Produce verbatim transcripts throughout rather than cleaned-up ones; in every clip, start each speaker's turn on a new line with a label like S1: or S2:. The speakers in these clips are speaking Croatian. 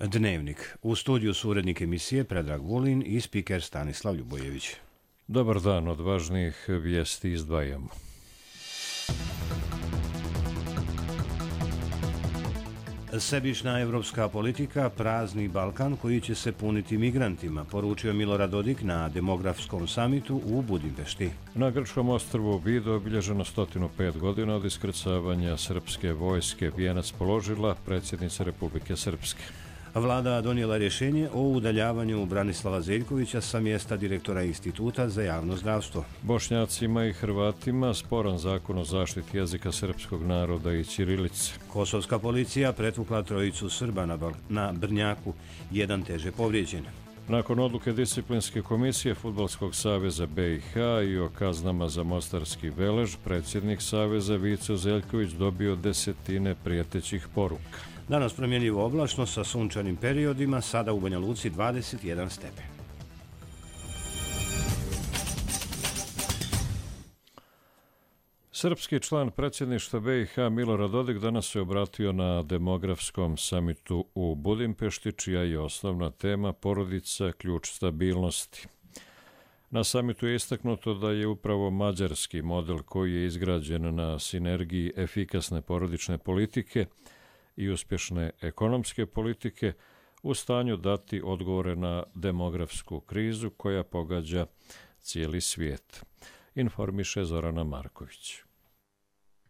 S1: Dnevnik. U studiju su urednik emisije Predrag Vulin i spiker Stanislav Ljubojević.
S2: Dobar dan, od važnijih vijesti izdvajamo.
S1: Sebična evropska politika prazni Balkan koji će se puniti migrantima, poručio Milorad Dodik na demografskom samitu u Budimpešti.
S2: Na grčkom ostrvu Vido obilježeno sto pet godina od iskrcavanja srpske vojske. Vijenac položila predsjednica Republike Srpske.
S1: Vlada donijela rješenje o udaljavanju Branislava Zeljkovića sa mjesta direktora Instituta za javno zdravstvo.
S2: Bošnjacima i Hrvatima sporan zakon o zaštiti jezika srpskog naroda i ćirilice.
S1: Kosovska policija pretukla trojicu Srba na, na Brnjaku, jedan teže povrijeđen.
S2: Nakon odluke disciplinske komisije Fudbalskog saveza B i H i o kaznama za mostarski Velež, predsjednik saveza Vico Zeljković dobio desetine prijetećih poruka.
S1: Danas promjenjivo oblačno sa sunčanim periodima, sada u Banja Luci dvadeset jedan stepen.
S2: Srpski član predsjedništva B i H Milorad Dodik danas se obratio na demografskom samitu u Budimpešti, čija je osnovna tema porodica, ključ stabilnosti. Na samitu je istaknuto da je upravo mađarski model koji je izgrađen na sinergiji efikasne porodične politike i uspješne ekonomske politike u stanju dati odgovore na demografsku krizu koja pogađa cijeli svijet, informiše Zorana Marković.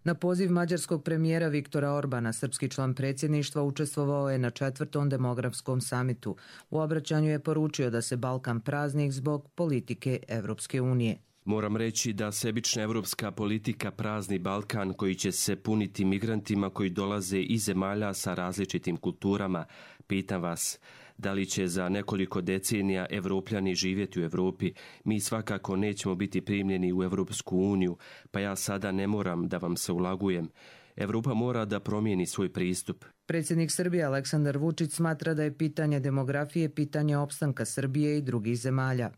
S3: Na poziv mađarskog premijera Viktora Orbana, srpski član predsjedništva učestvovao je na četvrtom demografskom samitu. U obraćanju je poručio da se Balkan prazni zbog politike Evropske unije.
S4: Moram reći da sebična evropska politika prazni Balkan koji će se puniti migrantima koji dolaze iz zemalja sa različitim kulturama. Pitam vas, da li će za nekoliko decenija Evropljani živjeti u Europi? Mi svakako nećemo biti primljeni u Evropsku uniju, pa ja sada ne moram da vam se ulagujem. Evropa mora da promijeni svoj pristup.
S3: Predsjednik Srbije Aleksandar Vučić smatra da je pitanje demografije pitanje opstanka Srbije i drugih zemalja.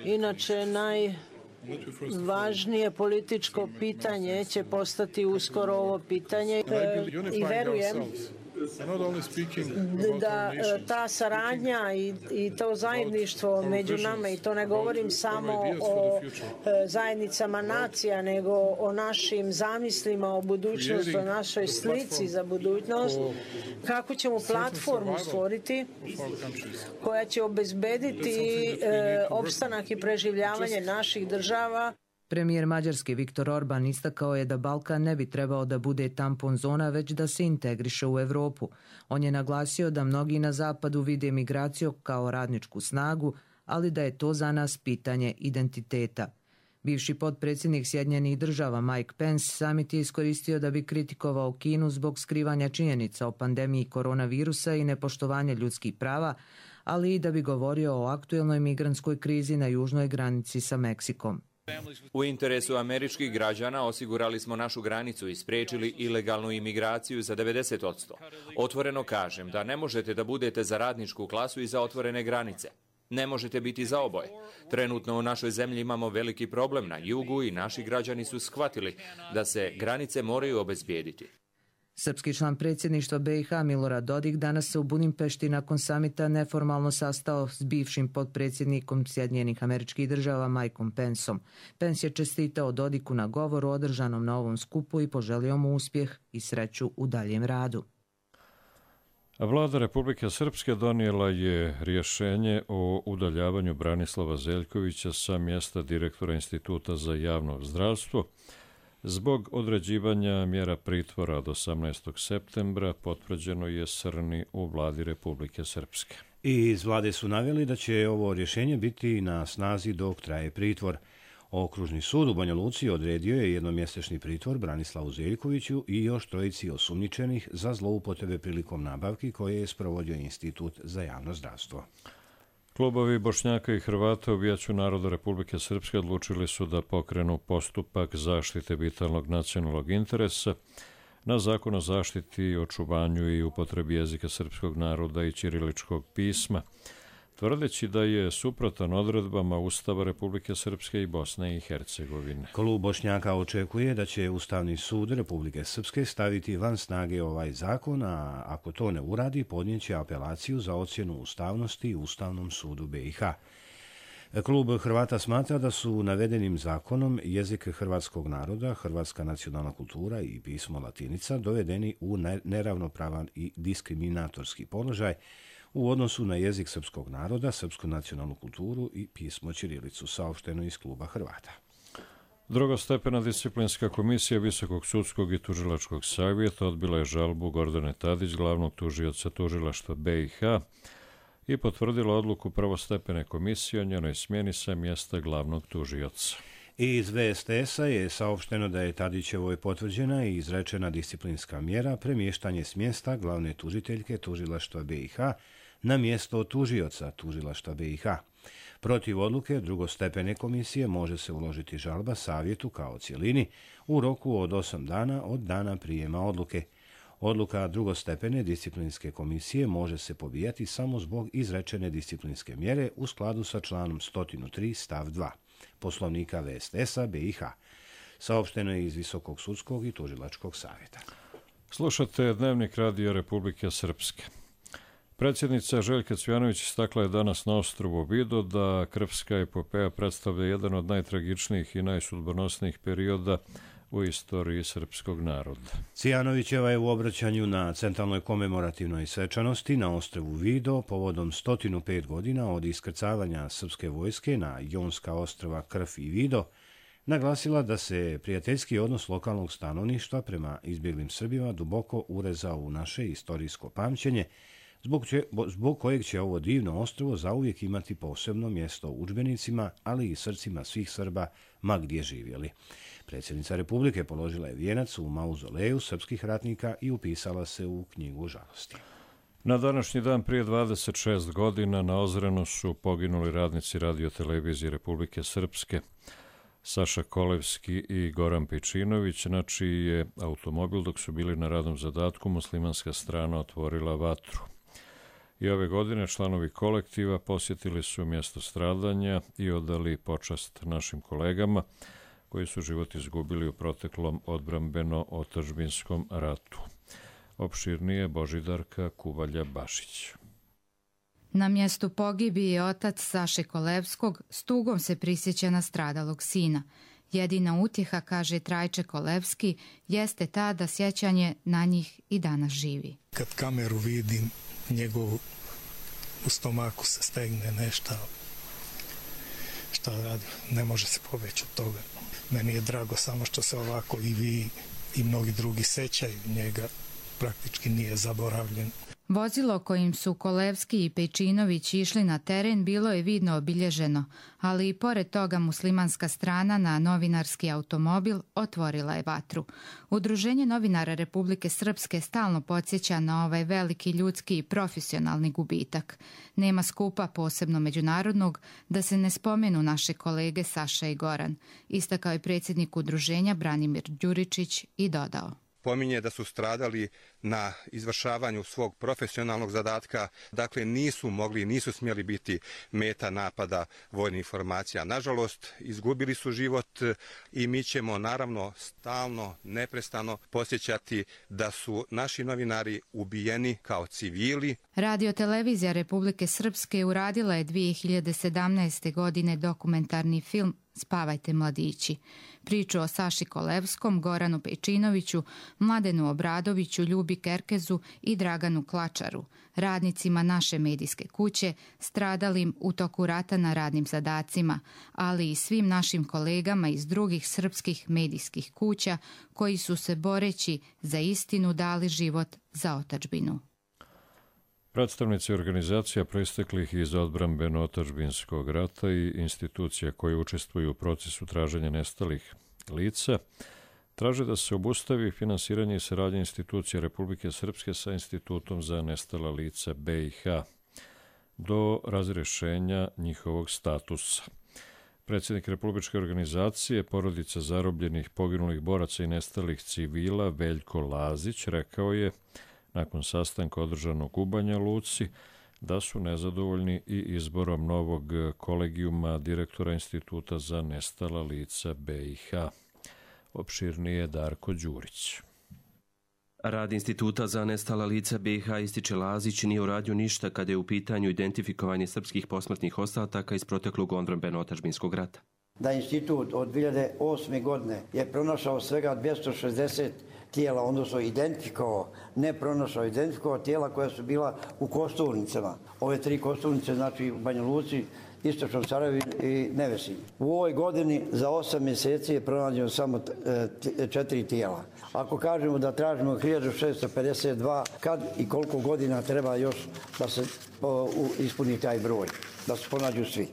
S5: Inače, najvažnije političko pitanje će postati uskoro ovo pitanje i verujem da ta saradnja i, i to zajedništvo među nama, i to ne govorim samo o zajednicama nacija, nego o našim zamislima o budućnosti, o našoj slici za budućnost, kako ćemo platformu stvoriti koja će obezbediti opstanak i preživljavanje naših država.
S3: Premijer Mađarske Viktor Orban istakao je da Balkan ne bi trebao da bude tampon zona, već da se integriše u Europu. On je naglasio da mnogi na zapadu vide migraciju kao radničku snagu, ali da je to za nas pitanje identiteta. Bivši potpredsjednik Sjedinjenih država Mike Pence samit je iskoristio da bi kritikovao Kinu zbog skrivanja činjenica o pandemiji koronavirusa i nepoštovanja ljudskih prava, ali i da bi govorio o aktuelnoj migrantskoj krizi na južnoj granici sa Meksikom.
S6: U interesu američkih građana osigurali smo našu granicu i spriječili ilegalnu imigraciju za devedeset posto. Otvoreno kažem da ne možete da budete za radničku klasu i za otvorene granice. Ne možete biti za oboje. Trenutno u našoj zemlji imamo veliki problem na jugu i naši građani su shvatili da se granice moraju obezbijediti.
S3: Srpski član predsjedništva B i H Milorad Dodik danas se u Budimpešti nakon samita neformalno sastao s bivšim potpredsjednikom Sjedinjenih Američkih Država Mikeom Penceom. Pence je čestitao Dodiku na govoru održanom na ovom skupu i poželio mu uspjeh i sreću u daljem radu.
S2: Vlada Republike Srpske donijela je rješenje o udaljavanju Branislava Zeljkovića sa mjesta direktora Instituta za javno zdravstvo zbog određivanja mjera pritvora od osamnaestog septembra, potvrđeno je Srni u vladi Republike Srpske.
S1: I iz vlade su naveli da će ovo rješenje biti na snazi dok traje pritvor. Okružni sud u Banja Luci odredio je jednomjesečni pritvor Branislavu Zeljkoviću i još trojici osumnjičenih za zloupotrebe prilikom nabavki koje je sprovodio Institut za javno zdravstvo.
S2: Klubovi Bošnjaka i Hrvata u Vijeću naroda Republike Srpske odlučili su da pokrenu postupak zaštite vitalnog nacionalnog interesa na Zakon o zaštiti, očuvanju i upotrebi jezika srpskog naroda i ćiriličkog pisma. tvrdeći da je suprotan odredbama Ustava Republike Srpske i Bosne i Hercegovine.
S1: Klub Bošnjaka očekuje da će Ustavni sud Republike Srpske staviti van snage ovaj zakon, a ako to ne uradi, podnijeće apelaciju za ocjenu ustavnosti Ustavnom sudu B i H. Klub Hrvata smatra da su navedenim zakonom jezik hrvatskog naroda, hrvatska nacionalna kultura i pismo latinica dovedeni u neravnopravan i diskriminatorski položaj u odnosu na jezik srpskog naroda, srpsku nacionalnu kulturu i pismo ćirilicu, saopšteno iz kluba Hrvata.
S2: Drugostepena disciplinska komisija Visokog sudskog i tužilačkog savjeta odbila je žalbu Gordane Tadić, glavnog tužioca tužilaštva B i H, i potvrdila odluku prvostepene komisije o njenoj smjeni sa mjesta glavnog tužioca.
S1: Iz V S T S-a je saopšteno da je Tadićevoj potvrđena i izrečena disciplinska mjera premještanje s mjesta glavne tužiteljke tužilaštva B i H na mjesto tužioca tužilaštva B i H. Protiv odluke drugostepene komisije može se uložiti žalba savjetu kao cjelini u roku od osam dana od dana prijema odluke. Odluka drugostepene disciplinske komisije može se pobijati samo zbog izrečene disciplinske mjere u skladu sa članom sto tri stav dva Poslovnika V S T S-a B i H. Saopšteno je iz Visokog sudskog i tužilačkog savjeta.
S2: Slušate Dnevnik Radija Republike Srpske. Predsjednica Željka Cvijanović istakla je danas na ostrvu Vido da Krfska epopeja predstavlja jedan od najtragičnijih i najsudbonosnijih perioda u istoriji srpskog naroda.
S1: Cvijanovićeva je u obraćanju na centralnoj komemorativnoj svečanosti na ostrvu Vido povodom sto pet godina od iskrcavanja srpske vojske na Jonska ostrva Krf i Vido naglasila da se prijateljski odnos lokalnog stanovništva prema izbjeglim Srbima duboko urezao u naše istorijsko pamćenje, zbog, će, zbog kojeg će ovo divno ostrvo zauvijek imati posebno mjesto u udžbenicima, ali i srcima svih Srba, ma gdje živjeli. Predsjednica Republike položila je vijenac u mauzoleju srpskih ratnika i upisala se u knjigu žalosti.
S2: Na današnji dan prije dvadeset šest godina na Ozrenu su poginuli radnici radiotelevizije Republike Srpske Saša Kolevski i Goran Pejčinović, na čiji je automobil dok su bili na radnom zadatku muslimanska strana otvorila vatru. I ove godine članovi kolektiva posjetili su mjesto stradanja i odali počast našim kolegama koji su život izgubili u proteklom odbrambeno-otadžbinskom ratu. Opširnije Božidarka Kuvalja-Bašić.
S7: Na mjestu pogibije otac Saše Kolevskog s tugom se prisjeća na stradalog sina. Jedina utjeha, kaže Trajče Kolevski, jeste ta da sjećanje na njih i danas živi.
S8: Kad kameru vidim, njegov u stomaku se stegne nešto. Šta radi? Ne može se pobeći od toga. Meni je drago samo što se ovako i vi i mnogi drugi sećaju njega. Praktički nije zaboravljen.
S7: Vozilo kojim su Kolevski i Pejčinović išli na teren bilo je vidno obilježeno, ali i pored toga muslimanska strana na novinarski automobil otvorila je vatru. Udruženje novinara Republike Srpske stalno podsjeća na ovaj veliki ljudski i profesionalni gubitak. Nema skupa, posebno međunarodnog, da se ne spomenu naše kolege Saša i Goran, istakao je predsjednik udruženja Branimir Đuričić i dodao.
S9: Pominje da su stradali na izvršavanju svog profesionalnog zadatka, dakle nisu mogli, nisu smjeli biti meta napada vojnih formacija. Nažalost, izgubili su život i mi ćemo naravno stalno, neprestano posjećati da su naši novinari ubijeni kao civili.
S7: Radiotelevizija Republike Srpske uradila je dvije hiljade sedamnaeste. godine dokumentarni film Spavajte mladići. Priču o Saši Kolevskom, Goranu Pejčinoviću, Mladenu Obradoviću, Ljubi Kerkezu i Draganu Klačaru, radnicima naše medijske kuće, stradalim u toku rata na radnim zadacima, ali i svim našim kolegama iz drugih srpskih medijskih kuća koji su se boreći za istinu dali život za otadžbinu.
S2: Predstavnici organizacija proisteklih iz odbrambeno-otadžbinskog rata i institucija koje učestvuju u procesu traženja nestalih lica traže da se obustavi finansiranje i saradnja institucija Republike Srpske sa Institutom za nestala lica B i H do razrješenja njihovog statusa. Predsjednik Republičke organizacije porodica zarobljenih, poginulih boraca i nestalih civila Veljko Lazić rekao je nakon sastanka održanog u Banja Luci da su nezadovoljni i izborom novog kolegijuma direktora Instituta za nestala lica B i H. Opširnije Darko Đurić.
S4: Rad Instituta za nestala lica B i H, ističe Lazić, nije uradio ništa kada je u pitanju identifikovanje srpskih posmrtnih ostataka iz proteklog odbrambeno-otadžbinskog rata.
S10: Da institut od dvije hiljade osme. godine je pronašao svega dvjesto šezdeset tijela, odnosno identifikovao, ne pronašao, identifikovao tijela koja su bila u kosturnicama. Ove tri kosturnice, znači u Banja Luci, Istočnom Sarajevu i Nevesinju. U ovoj godini za osam mjeseci je pronađeno samo četiri tijela. Ako kažemo da tražimo hiljadu šesto pedeset dva, kad i koliko godina treba još da se ispuni taj broj, da se pronađu svi.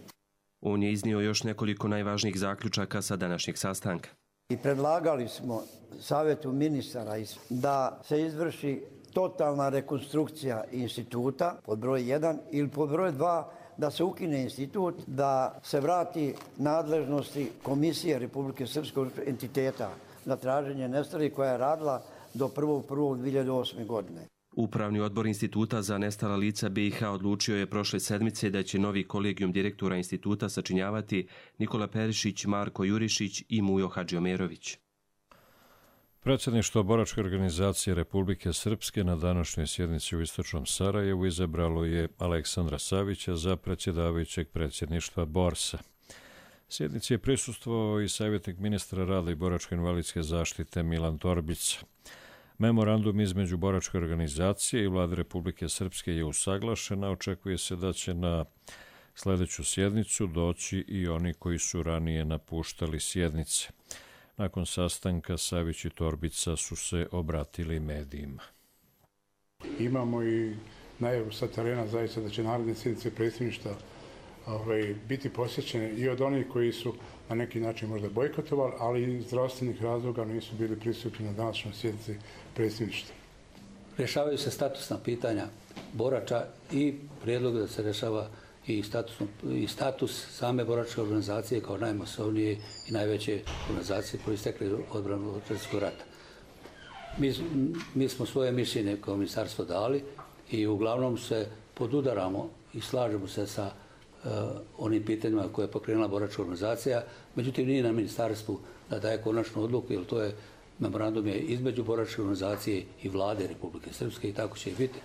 S4: On je iznio još nekoliko najvažnijih zaključaka sa današnjeg sastanka.
S10: I predlagali smo Savjetu ministara da se izvrši totalna rekonstrukcija instituta pod broj jedan ili pod broj dva, da se ukine institut, da se vrati nadležnosti Komisije Republike Srpskog entiteta na traženje nestalih koja je radila do prvog prvog dvije hiljade osme. godine.
S4: Upravni odbor Instituta za nestala lica B i H odlučio je prošle sedmice da će novi kolegijum direktora instituta sačinjavati Nikola Perišić, Marko Jurišić i Mujo Hadžiomerović.
S2: Predsjedništvo Boračke organizacije Republike Srpske na današnjoj sjednici u Istočnom Sarajevu izabralo je Aleksandra Savića za predsjedavajućeg predsjedništva Borsa. Sjednici je prisustvovao i savjetnik ministra rada i boračko-invalidske zaštite Milan Torbica. Memorandum između Boračke organizacije i Vlade Republike Srpske je usaglašen, a očekuje se da će na sljedeću sjednicu doći i oni koji su ranije napuštali sjednice. Nakon sastanka Savić i Torbica su se obratili medijima.
S11: Imamo i najavu sa terena zaista da će naredne sjednice predsjedništva ovaj, biti posjećene i od onih koji su na neki način možda bojkotovali, ali i iz zdravstvenih razloga nisu bili prisutni na današnjoj sjednici predsjedništva.
S12: Rješavaju se statusna pitanja borača i prijedlog da se rješava i, i status same boračke organizacije kao najmasovnije i najveće organizacije koje istekle odbrambeno-otadžbinskog rata. Mi, mi smo svoje mišljenje kao ministarstvo dali i uglavnom se podudaramo i slažemo se sa uh, onim pitanjima koje je pokrenula boračka organizacija, međutim nije na ministarstvu da daje konačnu odluku, jer to je memorandum je između boračke organizacije i Vlade Republike Srpske i tako će i biti.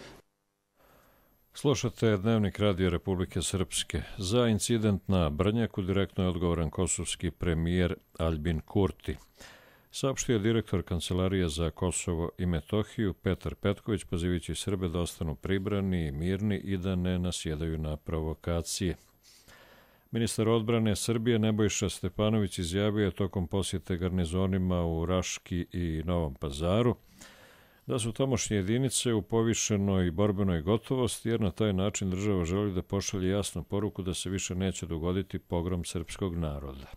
S2: Slušate Dnevnik Radio Republike Srpske. Za incident na Brnjaku direktno je odgovoran kosovski premijer Aljbin Kurti. Saopštio je direktor Kancelarije za Kosovo i Metohiju Petar Petković, pozivajući Srbe da ostanu pribrani i mirni i da ne nasjedaju na provokacije. Ministar odbrane Srbije Nebojša Stepanović izjavio je tokom posjete garnizonima u Raški i Novom Pazaru da su tamošnje jedinice u povišenoj borbenoj gotovosti, jer na taj način država želi da pošalje jasnu poruku da se više neće dogoditi pogrom srpskog naroda.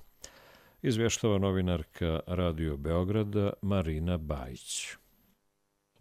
S2: Izvještava novinarka Radio Beograda Marina Bajić.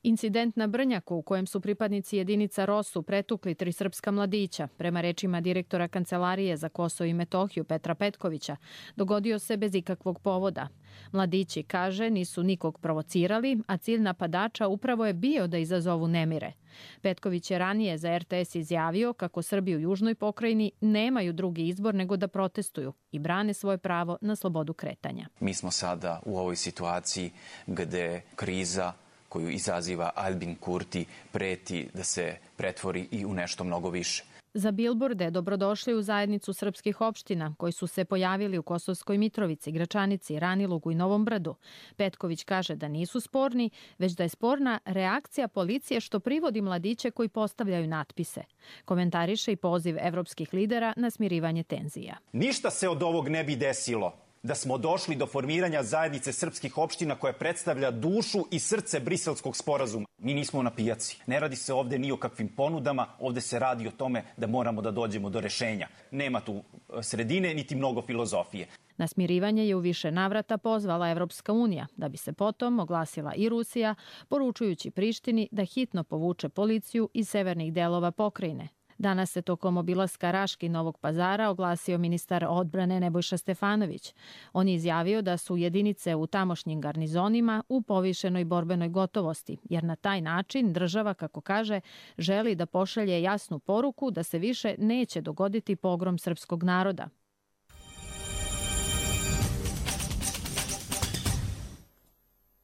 S13: Incident na Brnjaku u kojem su pripadnici jedinica Rosu pretukli tri srpska mladića, prema rečima direktora Kancelarije za Kosovo i Metohiju Petra Petkovića, dogodio se bez ikakvog povoda. Mladići, kaže, nisu nikog provocirali, a cilj napadača upravo je bio da izazovu nemire. Petković je ranije za R T S izjavio kako Srbi u južnoj pokrajini nemaju drugi izbor nego da protestuju i brane svoje pravo na slobodu kretanja.
S14: Mi smo sada u ovoj situaciji gde kriza koju izaziva Aljbin Kurti preti da se pretvori i u nešto mnogo više.
S13: Za bilborde dobrodošli u zajednicu srpskih opština koji su se pojavili u Kosovskoj Mitrovici, Gračanici, Ranilugu i Novom Brdu. Petković kaže da nisu sporni, već da je sporna reakcija policije što privodi mladiće koji postavljaju natpise. Komentariše i poziv evropskih lidera na smirivanje tenzija.
S15: Ništa se od ovog ne bi desilo da smo došli do formiranja zajednice srpskih opština koja predstavlja dušu i srce Briselskog sporazuma. Mi nismo na pijaci. Ne radi se ovde ni o kakvim ponudama, ovde se radi o tome da moramo da dođemo do rešenja. Nema tu sredine niti mnogo filozofije.
S13: Na smirivanje je u više navrata pozvala Evropska unija, da bi se potom oglasila i Rusija, poručujući Prištini da hitno povuče policiju iz severnih delova pokrajine. Danas se tokom obilaska Raške i Novog Pazara oglasio ministar odbrane Nebojša Stefanović. On je izjavio da su jedinice u tamošnjim garnizonima u povišenoj borbenoj gotovosti, jer na taj način država, kako kaže, želi da pošalje jasnu poruku da se više neće dogoditi pogrom srpskog naroda.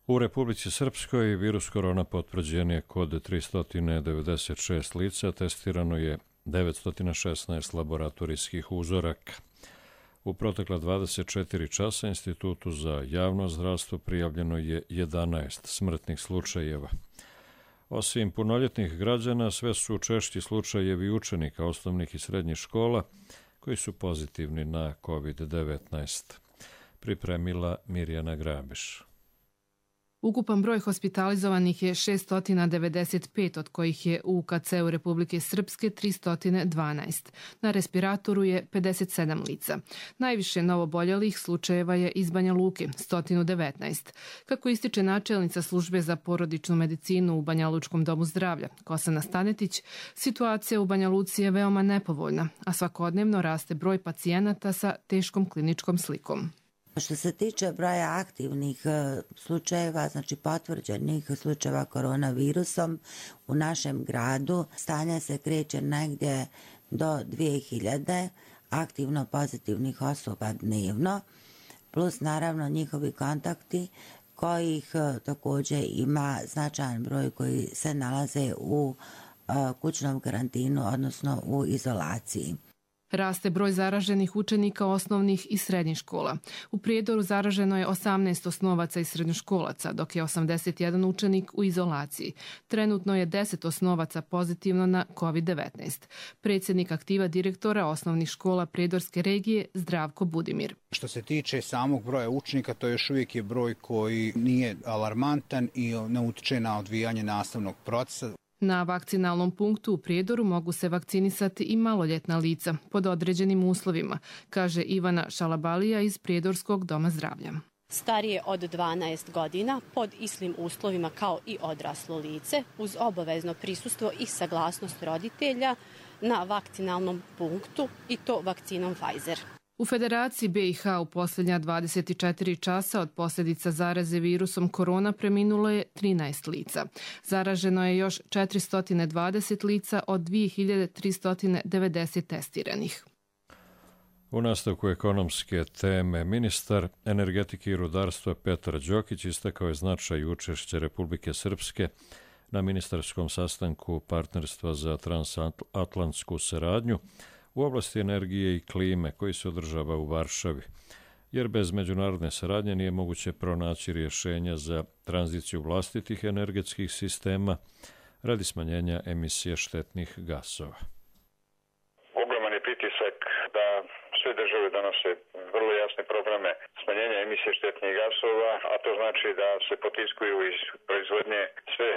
S2: U Republici Srpskoj virus korona potvrđen je kod tristo devedeset šest lica, testirano je devetsto šesnaest laboratorijskih uzoraka. U protekla dvadeset četiri časa Institutu za javno zdravstvo prijavljeno je jedanaest smrtnih slučajeva. Osim punoljetnih građana, sve su češći slučajevi učenika osnovnih i srednjih škola koji su pozitivni na kovid devetnaest. Pripremila Mirjana Grabiš.
S16: Ukupan broj hospitalizovanih je šesto devedeset pet, od kojih je u U K C-u Republike Srpske tristo dvanaest. Na respiratoru je pedeset sedam lica. Najviše novoboljelih slučajeva je iz Banja Luke, sto devetnaest. Kako ističe načelnica službe za porodičnu medicinu u Banja Lučkom domu zdravlja, Kosana Stanetić, situacija u Banja Luci je veoma nepovoljna, a svakodnevno raste broj pacijenata sa teškom kliničkom slikom.
S17: Što se tiče broja aktivnih slučajeva, znači potvrđenih slučajeva koronavirusom u našem gradu, stanje se kreće negdje do dvije hiljade aktivno pozitivnih osoba dnevno, plus naravno njihovi kontakti kojih također ima značajan broj koji se nalaze u kućnom karantinu, odnosno u izolaciji.
S16: Raste broj zaraženih učenika osnovnih i srednjih škola. U Prijedoru zaraženo je osamnaest osnovaca i srednjoškolaca, dok je osamdeset jedan učenik u izolaciji. Trenutno je deset osnovaca pozitivno na kovid devetnaest. Predsjednik aktiva direktora osnovnih škola Prijedorske regije Zdravko Budimir.
S18: Što se tiče samog broja učenika, to još uvijek je broj koji nije alarmantan i ne utiče na odvijanje nastavnog procesa.
S16: Na vakcinalnom punktu u Prijedoru mogu se vakcinisati i maloljetna lica pod određenim uslovima, kaže Ivana Šalabalija iz Prijedorskog doma zdravlja.
S19: Starije od dvanaest godina pod istim uslovima kao i odraslo lice uz obavezno prisustvo i saglasnost roditelja na vakcinalnom punktu i to vakcinom Pfizer.
S16: U Federaciji B i H u posljednja dvadeset četiri časa od posljedica zaraze virusom korona preminulo je trinaest lica. Zaraženo je još četiristo dvadeset lica od dvije hiljade tristo devedeset testiranih.
S2: U nastavku ekonomske teme, ministar energetike i rudarstva Petar Đokić istakao je značaj učešća Republike Srpske na ministarskom sastanku Partnerstva za transatlantsku saradnju u oblasti energije i klime koji se održava u Varšavi, jer bez međunarodne saradnje nije moguće pronaći rješenja za tranziciju vlastitih energetskih sistema radi smanjenja emisije štetnih gasova.
S20: Ogroman je pritisak da sve države donose vrlo jasne programe smanjenja emisije štetnih gasova, a to znači da se potiskuju iz proizvodnje sve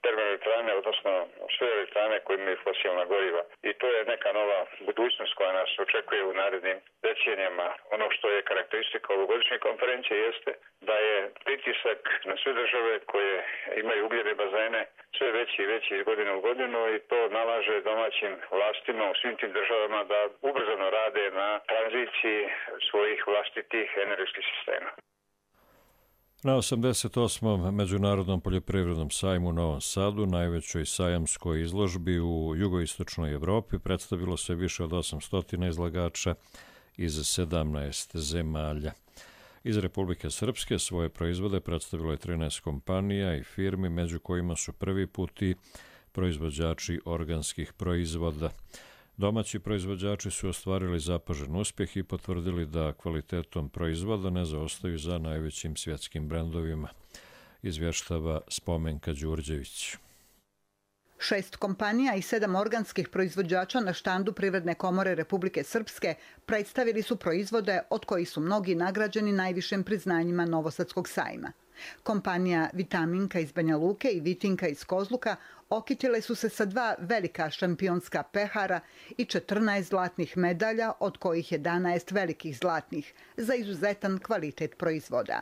S20: termoelektrane, odnosno sve elektrane koje imaju fosilna goriva. I to je neka nova budućnost koja nas očekuje u narednim decenijama. Ono što je karakteristika ovogodišnje konferencije jeste da je pritisak na sve države koje imaju ugljene bazene sve veći i veći iz godine u godinu i to nalaže domaćim vlastima u svim tim državama da ubrzano rade na tranziciji svojih vlastitih energetskih sistema.
S2: Na osamdeset osmom Međunarodnom poljoprivrednom sajmu u Novom Sadu, najvećoj sajamskoj izložbi u jugoistočnoj Evropi, predstavilo se više od osamsto izlagača iz sedamnaest zemalja. Iz Republike Srpske svoje proizvode predstavilo je trinaest kompanija i firmi, među kojima su prvi put i proizvođači organskih proizvoda. Domaći proizvođači su ostvarili zapažen uspjeh i potvrdili da kvalitetom proizvoda ne zaostaju za najvećim svjetskim brendovima, izvještava Spomenka Đurđević.
S21: Šest kompanija i sedam organskih proizvođača na štandu Privredne komore Republike Srpske predstavili su proizvode od kojih su mnogi nagrađeni najvišim priznanjima Novosadskog sajma. Kompanija Vitaminka iz Banja Luke i Vitinka iz Kozluka okitile su se sa dva velika šampionska pehara i četrnaest zlatnih medalja, od kojih jedanaest velikih zlatnih, za izuzetan kvalitet proizvoda.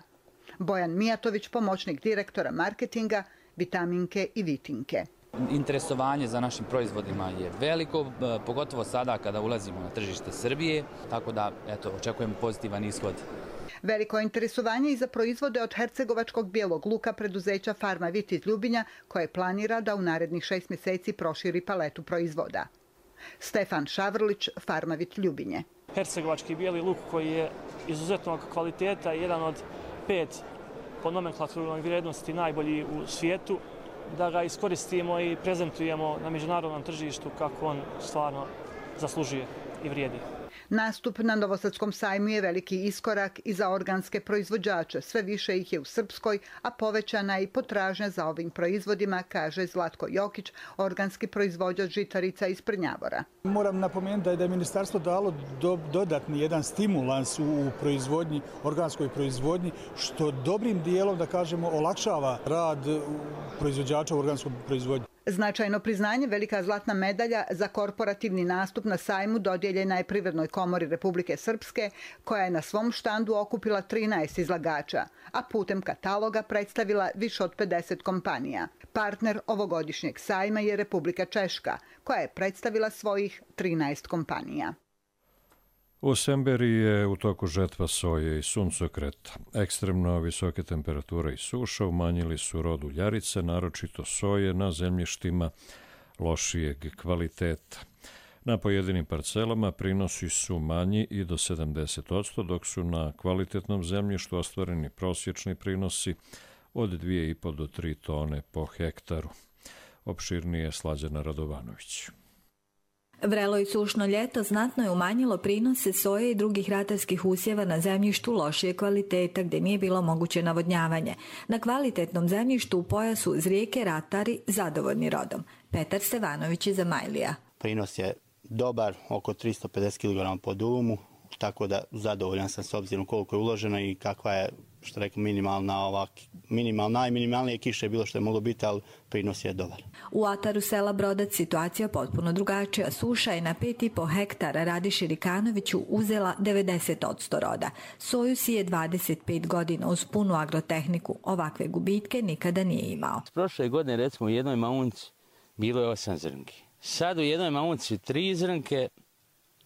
S21: Bojan Mijatović, pomoćnik direktora marketinga Vitaminke i Vitinke.
S5: Interesovanje za našim proizvodima je veliko, pogotovo sada kada ulazimo na tržište Srbije, tako da eto, očekujemo pozitivan ishod.
S21: Veliko interesovanje i za proizvode od hercegovačkog bijelog luka preduzeća Farmavit iz Ljubinja, koje planira da u narednih šest mjeseci proširi paletu proizvoda. Stefan Šavrlić, Farmavit Ljubinje.
S22: Hercegovački bijeli luk koji je izuzetnog kvaliteta i jedan od pet po nomenklaturnoj vrijednosti najbolji u svijetu, da ga iskoristimo i prezentujemo na međunarodnom tržištu kako on stvarno zaslužuje i vrijedi.
S21: Nastup na Novosadskom sajmu je veliki iskorak i za organske proizvođače. Sve više ih je u Srpskoj, a povećana je i potražnja za ovim proizvodima, kaže Zlatko Jokić, organski proizvođač žitarica iz Prnjavora.
S23: Moram napomenuti da je ministarstvo dalo do, dodatni jedan stimulans u proizvodnji, organskoj proizvodnji, što dobrim dijelom, da kažemo, olakšava rad proizvođača u organskoj proizvodnji.
S21: Značajno priznanje, velika zlatna medalja za korporativni nastup na sajmu dodijeljena je Privrednoj komori Republike Srpske, koja je na svom štandu okupila trinaest izlagača, a putem kataloga predstavila više od pedeset kompanija. Partner ovogodišnjeg sajma je Republika Češka, koja je predstavila svojih trinaest kompanija.
S2: U Semberiji je u toku žetva soje i suncokreta. Ekstremno visoke temperature i suša umanjili su rod uljarice, naročito soje na zemljištima lošijeg kvaliteta. Na pojedinim parcelama prinosi su manji i do sedamdeset posto, dok su na kvalitetnom zemljištu ostvareni prosječni prinosi od dvije i po do tri tone po hektaru. Opširnije Slađana Radovanović.
S24: Vrelo i sušno ljeto znatno je umanjilo prinose soje i drugih ratarskih usjeva na zemljištu lošije kvaliteta gdje nije bilo moguće navodnjavanje. Na kvalitetnom zemljištu u pojasu uz rijeke ratari zadovoljni rodom. Petar Stevanović iz Amajlija.
S25: Prinos je dobar, oko tristo pedeset kilograma po dumu, tako da zadovoljan sam s obzirom koliko je uloženo i kakva je, što rekao, minimalna, ovak, minimalna, najminimalnije kiše je bilo što je moglo biti, ali prinos je dobar.
S24: U ataru sela Brodac situacija potpuno drugačija. Suša je na pet i po hektara Radiši Rikanoviću uzela devedeset posto roda. Soju sije dvadeset pet godina uz punu agrotehniku. Ovakve gubitke nikada nije imao.
S26: Prošle godine, recimo, u jednoj maunci bilo je osam zrnki. Sad u jednoj maunci tri zrnke,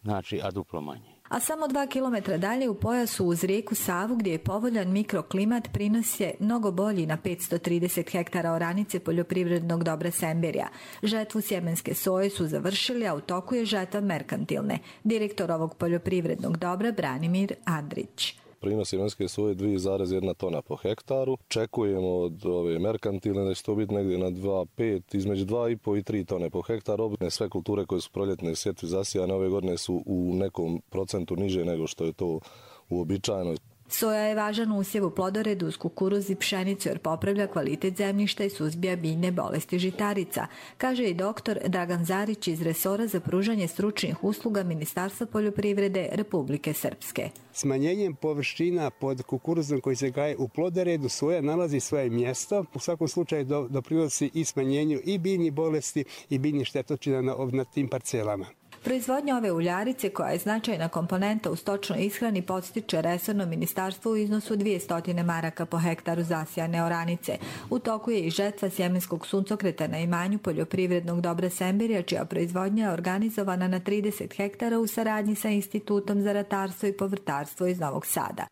S26: znači, a duplo manje.
S24: A samo dva kilometra dalje u pojasu uz rijeku Savu gdje je povoljan mikroklimat prinos je mnogo bolji na petsto trideset hektara oranice poljoprivrednog dobra Semberija. Žetvu sjemenske soje su završili, a u toku je žetva merkantilne. Direktor ovog poljoprivrednog dobra Branimir Andrić.
S27: Prinos sjemenske soje dvije zarez jedna tona po hektaru. Čekujemo od ove merkantilne da će to biti negdje na dva zarez pet, između dva i po i tri tone po hektaru. Sve kulture koje su proljetne sjetve zasijane ove godine su u nekom procentu niže nego što je to uobičajeno.
S24: Soja je važan usjev u plodoredu uz kukuruz i pšenicu jer popravlja kvalitet zemljišta i suzbija biljne bolesti žitarica, kaže i doktor Dragan Zarić iz resora za pružanje stručnih usluga Ministarstva poljoprivrede Republike Srpske.
S28: Smanjenjem površina pod kukuruzom koji se gaje u plodoredu soja nalazi svoje mjesto. U svakom slučaju doprinosi i smanjenju i biljnih bolesti i biljnih štetočina na, na tim parcelama.
S24: Proizvodnja ove uljarice, koja je značajna komponenta u stočnoj ishrani, podstiče resorno ministarstvo u iznosu dvjesto maraka po hektaru zasijane oranice. U toku je i žetva sjemenskog suncokreta na imanju poljoprivrednog dobra Semberija, čija proizvodnja je organizovana na trideset hektara u saradnji sa Institutom za ratarstvo i povrtarstvo iz Novog Sada.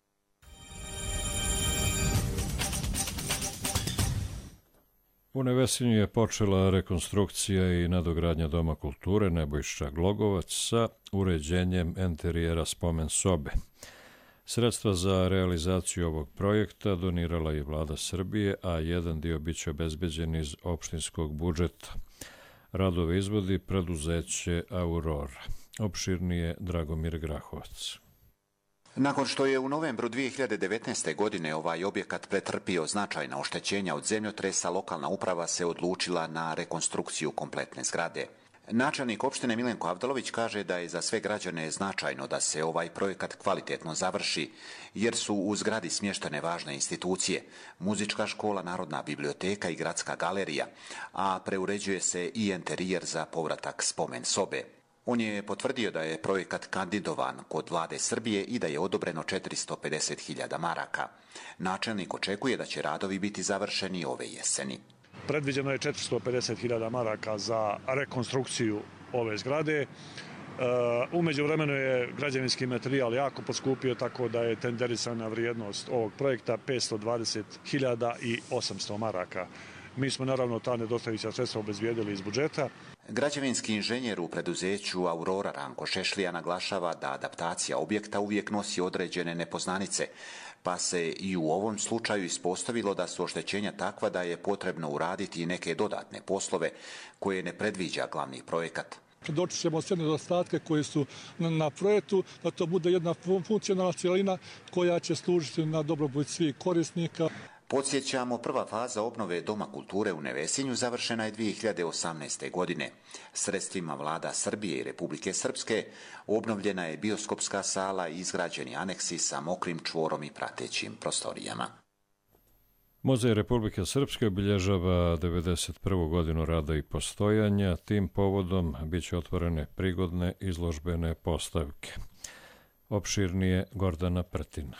S2: U Nevesinju je počela rekonstrukcija i nadogradnja Doma kulture Nebojša Glogovac sa uređenjem enterijera spomen sobe. Sredstva za realizaciju ovog projekta donirala je Vlada Srbije, a jedan dio biće obezbeđen iz opštinskog budžeta. Radove izvodi preduzeće Aurora. Opširnije Dragomir Grahovac.
S29: Nakon što je u novembru dvije hiljade devetnaeste. godine ovaj objekat pretrpio značajna oštećenja od zemljotresa, lokalna uprava se odlučila na rekonstrukciju kompletne zgrade. Načelnik opštine Milenko Avdalović kaže da je za sve građane značajno da se ovaj projekat kvalitetno završi, jer su u zgradi smještene važne institucije, muzička škola, Narodna biblioteka i gradska galerija, a preuređuje se i enterijer za povratak spomen sobe. On je potvrdio da je projekat kandidovan kod Vlade Srbije i da je odobreno četiristo pedeset hiljada maraka. Načelnik očekuje da će radovi biti završeni ove jeseni.
S1: Predviđeno je četiristo pedeset hiljada maraka za rekonstrukciju ove zgrade. U međuvremenu je građevinski materijal jako poskupio, tako da je tenderisana vrijednost ovog projekta petsto dvadeset hiljada osamsto maraka. Mi smo naravno ta nedostajuća sredstva obezbijedili iz budžeta.
S29: Građevinski inženjer u preduzeću Aurora Ranko Šešlija naglašava da adaptacija objekta uvijek nosi određene nepoznanice, pa se i u ovom slučaju ispostavilo da su oštećenja takva da je potrebno uraditi i neke dodatne poslove koje ne predviđa glavni projekat.
S3: Predočit ćemo sve nedostatke koje su na projektu, da to bude jedna funkcionalna cijelina koja će služiti na dobrobit svih korisnika.
S29: Podsjećamo, prva faza obnove Doma kulture u Nevesinju završena je dvije hiljade osamnaeste. godine. Sredstvima vlada Srbije i Republike Srpske obnovljena je bioskopska sala i izgrađeni aneksi sa mokrim čvorom i pratećim prostorijama.
S2: Muzej Republike Srpske obilježava devedeset prvu godinu rada i postojanja. Tim povodom biće otvorene prigodne izložbene postavke. Opširnije Gordana Prtina.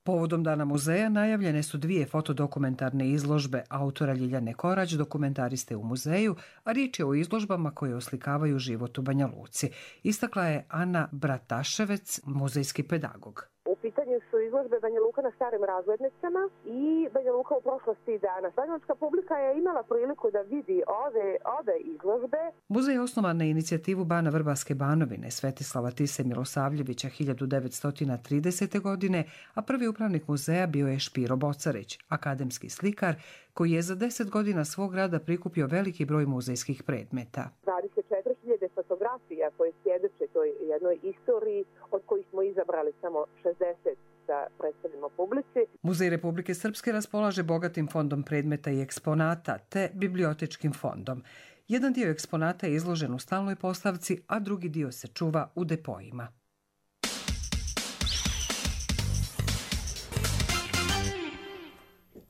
S4: Povodom Dana muzeja najavljene su dvije fotodokumentarne izložbe autora Ljiljane Korać, dokumentariste u muzeju, a riječ je o izložbama koje oslikavaju život u Banja Luci. Istakla je Ana Brataševec, muzejski pedagog.
S6: U pitanju su izložbe Banja Luka na starim razglednicama i Banja Luka u prošlosti i danas. Banjalučka publika je imala priliku da vidi ove, ove izložbe.
S4: Muzej je osnovan na inicijativu Bana Vrbaske Banovine Svetislava Tise Milosavljevića hiljadu devetsto tridesete. godine, a prvi upravnik muzeja bio je Špiro Bocarić, akademski slikar koji je za deset godina svog rada prikupio veliki broj muzejskih predmeta.
S6: dvadeset četiri hiljade fotografija koje svjedoče toj jednoj istoriji, od kojih smo izabrali samo šezdeset da predstavimo publici.
S4: Muzej Republike Srpske raspolaže bogatim fondom predmeta i eksponata te bibliotečkim fondom. Jedan dio eksponata je izložen u stalnoj postavci, a drugi dio se čuva u depojima.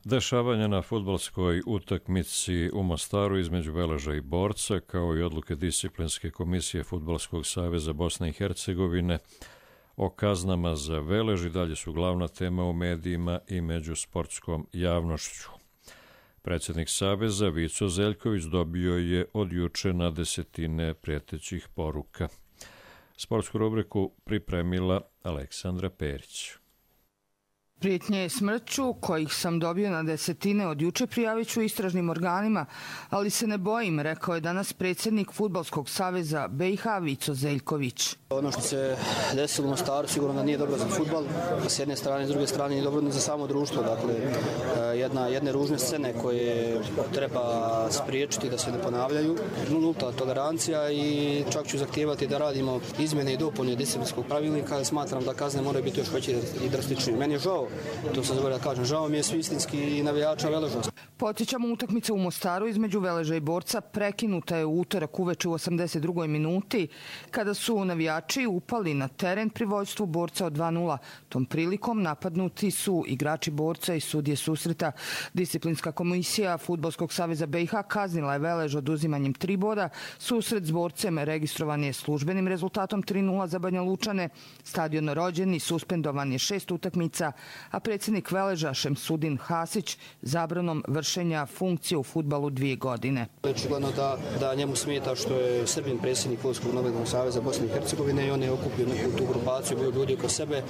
S2: Dešavanja na fudbalskoj utakmici u Mostaru između Veleža i Borca, kao i odluke disciplinske komisije Fudbalskog saveza Bosne i Hercegovine o kaznama za Velež i dalje su glavna tema u medijima i među sportskom javnošću. Predsjednik saveza Vico Zeljković dobio je od juče na desetine prijetećih poruka. Sportsku rubriku pripremila Aleksandra Perić.
S7: Prijetnje smrću, kojih sam dobio na desetine od juče, prijavit ću istražnim organima, ali se ne bojim, rekao je danas predsjednik Fudbalskog saveza B i H Vico Zeljković.
S8: Ono što se desilo u Mostaru sigurno da nije dobro za fudbal, a s jedne strane i s druge strane nije dobro ni za samo društvo. Dakle, jedna, jedne ružne scene koje treba spriječiti da se ne ponavljaju. Nulta tolerancija i čak ću zahtijevati da radimo izmjene i dopune disciplinskog pravilnika, ali smatram da kazne moraju biti još veće i drastičnije. Meni je žao, to sam zaboravio da kažem, žao mi je svi istinski navijača Veleža.
S7: Podsjećamo, utakmica u Mostaru između Veleža i Borca prekinuta je u utorak uveče u osamdeset drugoj minuti, kada su navijači upali na teren pri vođstvu Borca od dva nula. Tom prilikom napadnuti su igrači Borca i sudije susreta. Disciplinska komisija Fudbalskog saveza B i H kaznila je Velež oduzimanjem tri boda. Susret s Borcem registrovan je službenim rezultatom tri nula za Banja Lučane. Stadion rođen i suspendovan je šest utakmica, a predsjednik Veleža Šemsudin Hasić zabranom vršenja funkcije u fudbalu dvije godine.
S8: Očigledno da, da njemu smeta što je Srbin predsjednik Fudbalskog nogometnog saveza Bosne i Hercegovine i on je okupio neku tu grupaciju, bio ljudi oko sebe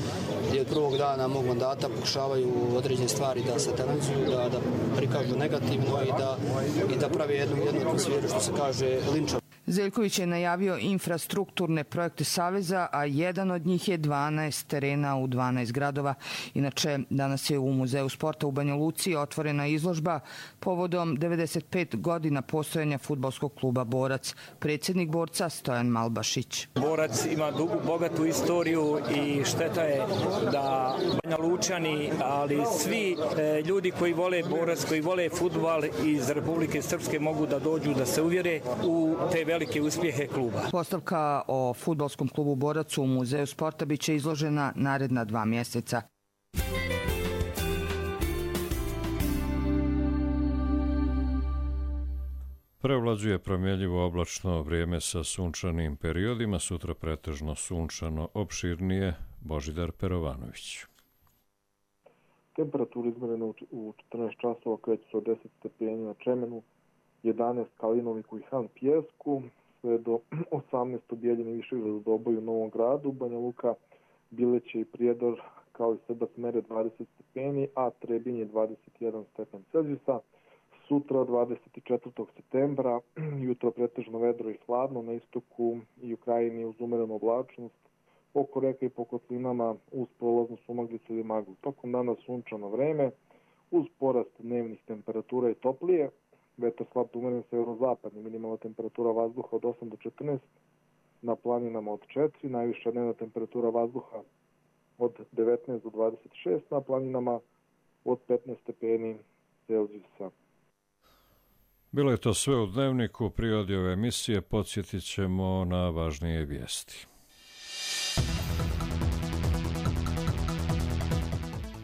S8: gdje od prvog dana mog mandata pokušavaju određene stvari da satanizuju, da, da prikažu negativno i da, i da pravi jednu, jednu atmosferu, što se kaže, linča.
S7: Zeljković je najavio infrastrukturne projekte Saveza, a jedan od njih je dvanaest terena u dvanaest gradova. Inače, danas je u Muzeju sporta u Banja Luci otvorena izložba povodom devedeset pet godina postojanja fudbalskog kluba Borac. Predsjednik Borca Stojan Malbašić.
S9: Borac ima dugu, bogatu istoriju i šteta je da Banja Lučani, ali svi e, ljudi koji vole Borac, koji vole fudbal iz Republike Srpske mogu da dođu da se uvjere u te velike uspjehe kluba.
S7: Postavka o fudbalskom klubu Borac u Muzeju sporta biće izložena naredna dva mjeseca.
S2: Prevlađuje promjenjivo oblačno vrijeme sa sunčanim periodima, sutra pretežno sunčano, opširnije Božidar Perovanović.
S10: Temperatura izmjerena u četrnaest časova kreće se od deset stepeni na Čemenu, jedanaest Kalinoviku i Han Pjesku, sve do osamnaest u Bijeljini, Višegradu, Doboju, Novom Gradu, Banja Luka, Bileće i Prijedor kao i Srbac mere dvadeset stepeni, a Trebinje dvadeset jedan stepen Celzijusa. Sutra dvadeset četvrtog septembra, jutro pretežno vedro i hladno, na istoku i u krajini uz umerenu oblačnost, oko reka i po kotlinama uz prolaznu sumaglicu ili maglu. Tokom dana sunčano vreme, uz porast dnevnih temperatura i toplije, vetar slab umeren severozapadni, minimalna temperatura vazduha od osam do četrnaest, na planinama od četiri, najviša dnevna temperatura vazduha od devetnaest do dvadeset šest, na planinama od petnaest stepeni Celzijusa.
S2: Bilo je to sve u Dnevniku. Prirodi ove emisije podsjetit ćemo na važnije vijesti.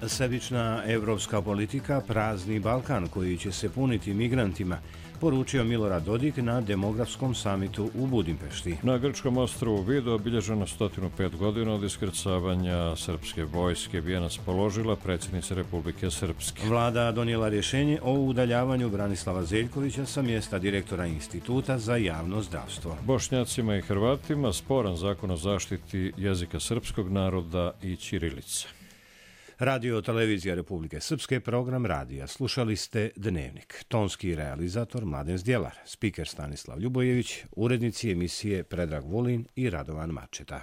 S11: Sebična evropska politika prazni Balkan koji će se puniti migrantima, poručio Milorad Dodik na demografskom samitu u Budimpešti.
S2: Na grčkom ostrvu Vido obilježeno sto pet godina od iskrcavanja srpske vojske bi je raspoložila predsjednica Republike Srpske.
S11: Vlada donijela rješenje o udaljavanju Branislava Zeljkovića sa mjesta direktora Instituta za javno zdravstvo.
S2: Bošnjacima i Hrvatima sporan zakon o zaštiti jezika srpskog naroda i ćirilice.
S11: Radio televizija Republike Srpske, program radija. Slušali ste Dnevnik. Tonski realizator Mladen Zdjelar, spiker Stanislav Ljubojević, urednici emisije Predrag Vulin i Radovan Mačeta.